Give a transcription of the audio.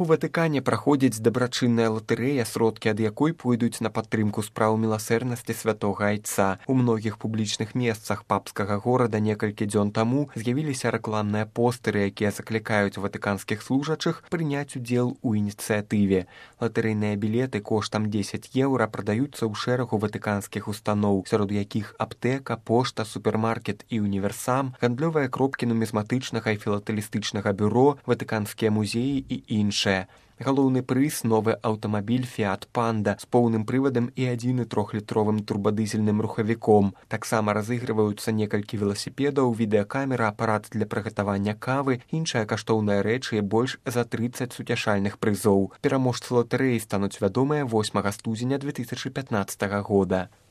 У Ватыкане праходзіць дабрачынная латарэя, сродкі ад якой пойдуць на падтрымку спраў міласэрнасці святога айца. У многіх публічных месцах папскага горада некалькі дзён таму з'явіліся рэкламныя постэры, якія заклікаюць ватыканскіх служачых прыняць удзел у ініцыятыве. Латарэйныя білеты коштам 10 еўра прадаюцца ў шэрагу ватыканскіх устаноў, сярод якіх аптэка, пошта, супермаркет і універсам, гандлёвыя кропкі нумізматычнага і філатэлістычнага бюро, ватыканскія музеі і іншыя. Галоўны прыз – новы аўтамабіль «Фіат Панда» з поўным прывадам і 1,3-літровым турбадызельным рухавіком. Таксама разыгрываюцца некалькі веласіпедаў, відэакамера, апарат для прыгатавання кавы, іншыя каштоўныя рэчы і больш за 30 суцяшальных прызоў. Пераможцы латарэі стануць вядомыя 8 студзеня 2015 года.